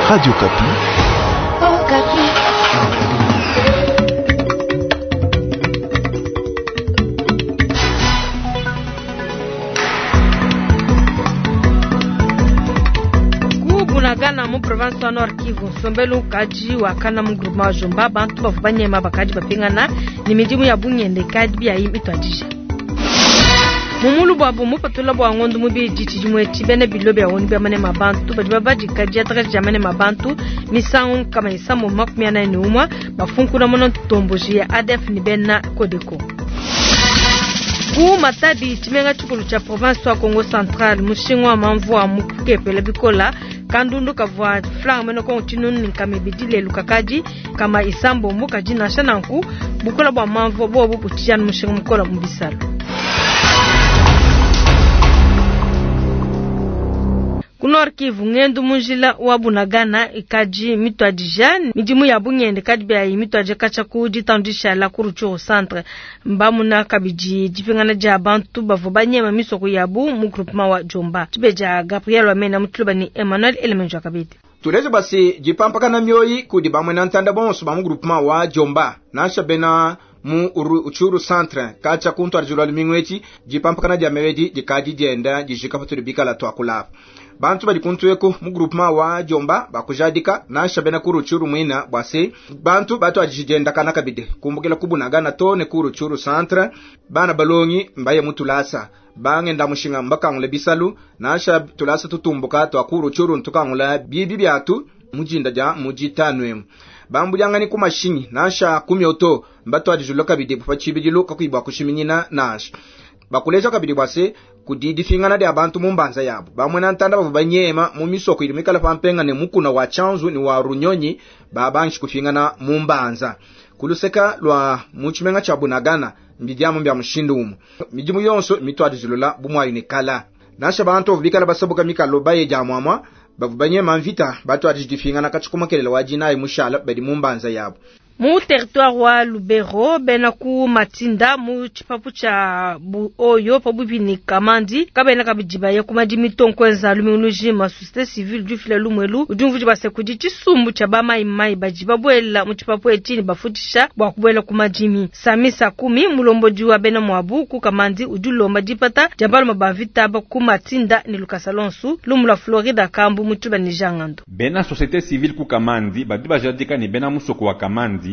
Radio Okapi. Okapi. Ku Bunagana mu province wa Nord Kivu, nsombelu ukadi wakana mu groupement wa Jomba, bantu bavua banyema bakadi bapingana ne midimu ya bungende ikadi biyayi mituadija. Mu mulu buabu mupatula bua ngondo mubidi tshidimu etshi bena bilo bia ONU bia manema bantu badi babadika diatrese dia manema bantu misangu nkama isambo 41 bafunkuna mona ntomboji ya ADF ni bena Codeco. Ku Matadi tshimenga tshikulu tshia province wa Kongo Central mushinga wa mamvua mukepela bikola kandundu kavua franc mena Kongo tshinunu ne nkama ibidi lelu kakadi kama isambombo kadi nansha nanku bukola bua mamvua bobu butshijana mushinga mukola mu bisalo. Ku Nord Kivu ngendu munjila wa Bunagana ikadi mituadija midimu ya bungende kadi bya mituadija katshia ku ditandisha la ku Rutshuru centre mbamuna kabidi dipingana dia bantu bavua banyema misoko yabu mu groupement wa Jomba tshibeja Gabriel Wamena mutuluba ni Emmanuel Elemenjo kabidi. Tuleje basi jipampakana mioyi kudi bamwe na ntanda bonso ba mu groupement wa Jomba nansha bena mu Rutshuru centre katshia kuntwara lumingu etshi jipampakana dia mewedi dikadi dienda dijika patudi bikala twakulapa. Bantu badi kuntueko mu groupement wa Jomba bakujadika nansha bena ku Rutshuru mwina bwase bantu batu ajijenda kabide kumbukila kubunagana to ne ku Rutshuru centre bana balongi mbaye mutulasa bangenda mushinga mbakangule bisalu nansha tulasa tutumbuka twa ku Rutshuru ntukangula bibi byatu mujinda ja mujitanwemu bambulyangani ku mashinyi nansha kumyoto mbatu ajijula kabidi pa tshibidilu kakuibwa kushiminyina nansha bakuleja kabidi bwase kudi difingana dia bantu mu mbanza yabo bamwe na ntanda bavo banyema mu misoko ili mikala pampenga ne mukuna wa chanzu ni wa runyonyi babanshi kufingana mu mbanza kuluseka lwa mu tshimenga tsha Bunagana mbidiamu mbya mushindu umu midimu yonso mitwadizilula bumwayu ne kala nansha bantu bavo bikala basabuka mikalo baye dia mwamwa bavo banyema mvita batwadijidifingana katshikumakelela wa dinayi mushala badi mu mbanza yabo. Mu territoire wa Lubero bena ku Matinda mu tshipapu tsha Buoyo pabuipi ni Kamandi kabena kabidi baye ku madimi tonkwenza lumingu lujima société civile du fila lumwelu udi umvudi base kudi tshisumbu tsha bamayimayi badi babuela mu tshipapu etshi ne bafutisha bua kubuela ku madimi. Sami Sakumi mulombodi wa bena muabu ku Kamandi udi ulomba dipata dia baluma ba mvita ba ku Matinda ne Lukasa lonsu lumu lua Florida Kambu mu tshiba ne Jangando. Bena société civile ku Kamandi badi bajadika ne bena musoko wa Kamandi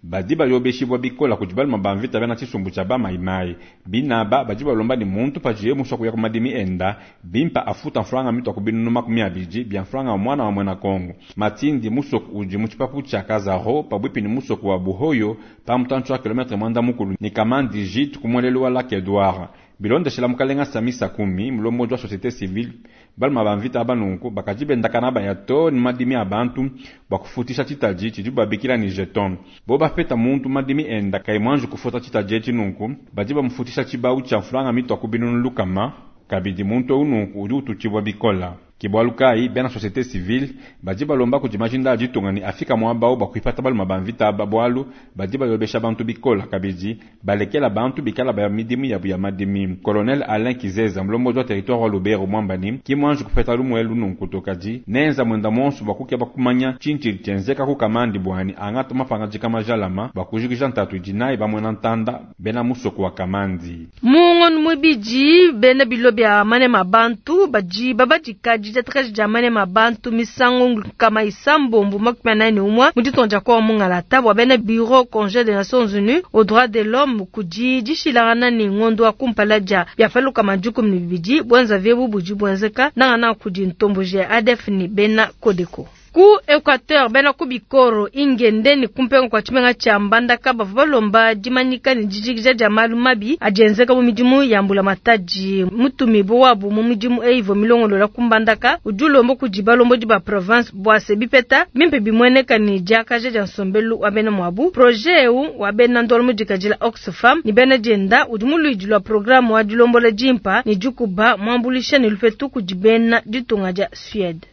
badi bayobeshibwa bikola kudi baluma ba mvita bena tshisumbu tsha bamayimayi binaba badi balomba ni muntu pajiye muswa kuya ku madimi enda bimpa afuta mfranga mitwa ku binunu 20 bya mfranga mwana wa mwena Kongo. Matindi musoko udi mu tshipapu tsha Kazaro pabwipi ni musoko wa Buhoyo pa mutantshi wa kilometre mwanda mukulu ni Kamandi jit ku mwelelu wa Lac Edouard. Bilondeshela mukalenga Sami Sakumi mulombodi wa société civile baluma ba mvita aba nunku bakaji bendakana baya to ni madimi a bantu bua kufutisha tshitaji tshidi babikila ni jeton. Bo bapeta muntu madimi enda kai mwanju kufuta tshitaji etshi nunku badi bamufutisha tshibau tshia mfulanga mitwa ku binunu lukama kabidi muntu eu nunku udi ututshibua bikola. Kibwalu kai bena société civile badi balomba kudi majinda a ditunga ni afika muaba bua kuipata baluma ba mvita aba bwalu badi bayobesha bantu bikola kabidi balekela bantu bikala baya midimu yabu ya madimi. Colonel Alain Kizeza mulombodi wa territoire wa Lubero mwambani ki mwanju kupeta lumuelu nunku tokadi nenza mwenda monso bua kukeba kumanya tshintshili tshienzeka ku Kamandi bwani angata mapangajika majalama bua kujikija ntatu idi nayi bamwena ntanda bena musoko wa Kamandi. Mungono mubidi bena bilo bia manema bantu badi babadika diatrese dia manema bantu misangu nkama isambombo 41 mu ditonja kwa mungalata bua bena bureau congé des Nations Unies aux droits de l'homme kudi dishilangana ni ngondo wa kumpala dia biafaluka majuku mibidi bwenza vyebu budi bwenzeka nangana kudi ntomboji ya ADF ni bena Codeco. Ku Equateur bena ku Bikoro ingende ni kumpenga kwa tshimenga tsha Mbandaka bavua balomba dimanyika ne dijikija dia malu mabi adienzeka mu midimu ya mbula matadi mutumibo wabu mu midimu eyi ivua milongolola ku Mbandaka udi ulomba kudi balombodi ba province bua se bipeta bimpe bimueneka ne diakaja dia nsombelu wa bena muabu. Projet eu wa bena ndolo mudikadila Oxfam ni bena dienda udi muluidi lua programme wa dilombola dimpa ne dikuba muambulisha ne lupetu kudi bena ditunga dia Suède.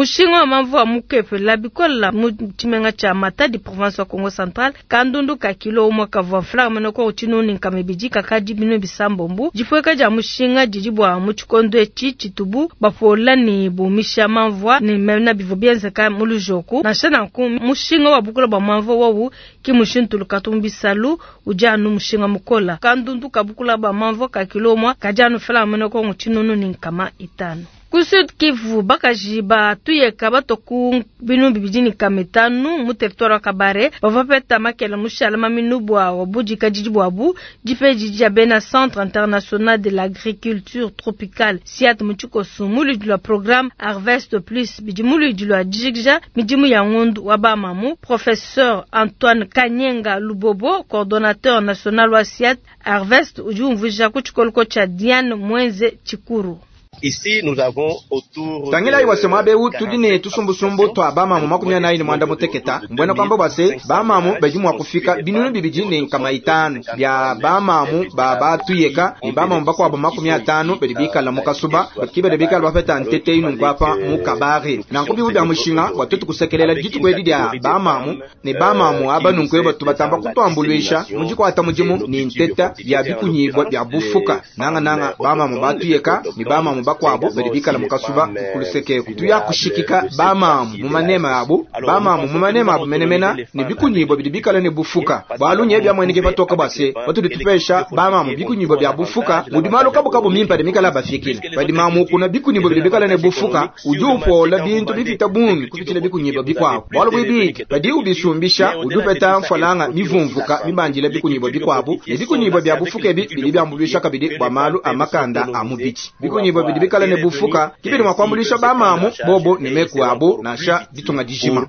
Mushinga wa manvua mukepela bikola mu tshimenga tshia Matadi, province wa Kongo Central. Kandundu ka kilo umue kavua mfranga munene ku 1200 kakadi 600. Dipueka dia mushinga didi bua mu tshikondo etshi tshitubu bapola ne bumisha manvua ne mena bivua bienzeka mu lujoku. Nansha nanku mushinga wa bukula bua manvua wowu ki mushintuluka to mu bisalu udi anu mushinga mukola. Kandundu ka bukula bua manvua ka kilo umue kadi anu mfranga munene ku 1500. Ku Sud Kivu, bakaji ba tuyeka batua ku 2500 mu territoire wa Kabare bavua bapeta makela mushala maminu bua wa budikadidi buabu. Dipa edi dia bena Centre International de l'Agriculture Tropicale CIAT mu tshikoso mu luidi lua programme Harvest Plus bidi mu luidi lua dijikija midimu ya ngondu wa bamamu. Professeur Antoine Kanyenga Lubobo, coordonnateur national wa CIAT Harvest, udi umvuija ku tshikoloko tshia Diane Mwenze Tshikuru. Tangilayi bua se muaba eu tudi ne tusumbusumbu tua bamamu 46, mbuena kuamba bua se bamamu badi mua kufika 2500 bia bamamu ba batuyeka ne bamamu bakuabu 50 badi bikala mu kasuba ki badi bikala bapeta ntete nunku apa mu Kabare. Nanku bivu bia mushinga bua tuetu kusekelela dituku edi dia bamamu ne bamamu aba nunku eba tubatamba kutuambuluisha mu dikuata mudimu ne nteta ya bikunyibua bia bufuka nangananga bamamu batuyeka ne bamamu bakuabu badi bikala mu kasuba kulusekeku. Tuya kushikika bamamu mu manema abu, bamamu mu manema abu menemena ne bikunyibua bidi bikala ne bufuka bualu nye biamueneke patoka bua se patudi tupesha bamamu bikunyibua bia bufuka mudi malu kabukabu mimpe adi mikala bafikile. Padi mamu ukuna bikunyibua bidi bikala ne bufuka udi upola bintu bipita bungi kupitshila bikunyibua bikuabu. Bualu buibidi padi ubisumbisha udi upeta mfalanga mivumvuka mibandila bikunyibua bikuabu ne bikunyibua bia bufuka ebi bidi biambuluisha kabidi bua malu a makanda a mubidi. Bikunyibua bidi bikala ne bufuka kibidi mua kuambuluisha bamamu bobo ne meku abu nansha ditunga dijima.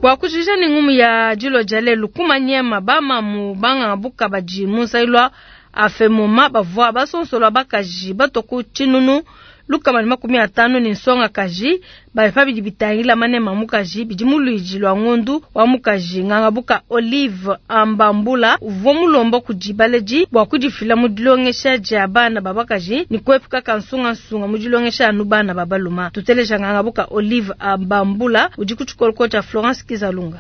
Bua kujikija ne ngumu ya dilo dia lelu ku Maniema, bamamu banganga buka badi mu nsailwa afemoma bavua basonsolwa bakaji batua ku 150 ne nsongakaji bali bidi bitangila manema mukaji bidi mu luidi lua ngondu wa mukaji ngangabuka Olive Ambambula uvua mulomba kudi baledi bua kudifila mu dilongesha dia bana ba bakaji ne kuepuka kansungansunga mu dilongesha anu bana ba baluma. Tuteleja ngangabuka Olive Ambambula udi ku tshikoloko tshia Florence Kizalunga.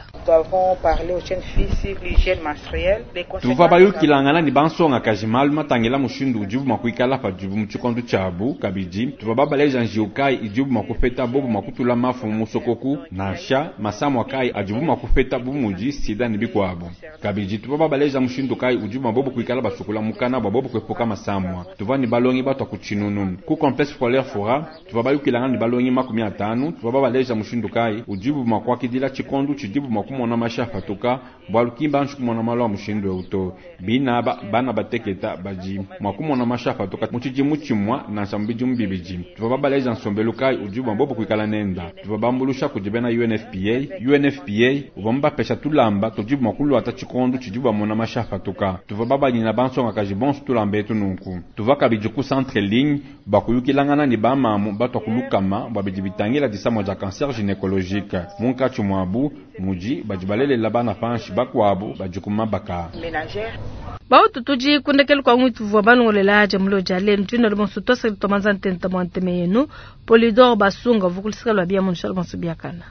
Tuvua bayukilangana ne bansongakaji malu matangila mushindu udibu mua kuikala padibu mu tshikondo tshiabu kabidi tuvua babaleja njiwu kayi idibu mua kupeta bobu mua kutula mafu mu musokoku nansha masamua kayi adibu mua kupeta bu mudi sida ne bikuabu. Kabidi tuvua babaleja mushindu kayi udibu mua bobu kuikala basukula mukana bua bobu kuepuka masamua. Tuvua ne balongi batua ku 1000 ku complexe scolaire Fora, tuvua bayukilangana ne balongi 50, tuvua babaleja mushindu kayi udibu mua kuakidila tshikondo tshidibu mua kumona mashi apatuka bualu ki mbanji kumona malu a mushindu eu to. Bina bana bateketa badi mua kumona mashi apatuka mu tshidimu tshimua nansha mu bidimu bibidi. Tuvua babaleja nsombelu kayi udibu mua bobu kuikala nenda. Tuvua bambulusha kudi bena UNFPA. UNFPA uvua mubapesha tulamba tudibu mua kuluata tshikondo tshidibu bamona mashi apatuka. Tuvua babanyina bansongakaji bonso tulamba etu nunku. Tuvua kabidi ku centre ligne bua kuyukilangana ne bamamu batua ku lukama bua bidi bitangila disamua dia cancer gynécologique. Munkatshi muabu mudi badi balelela bana panshi bakuabu badi ku mabaka. Bautu tudi kundekelu kwa ngwitu vua balongolela aja mulo dia lelu tuna le bonso tosa tomanza ntenta mwa nteme yenu Polydor Basunga vukulisika lwa bia munshala bonso biakana.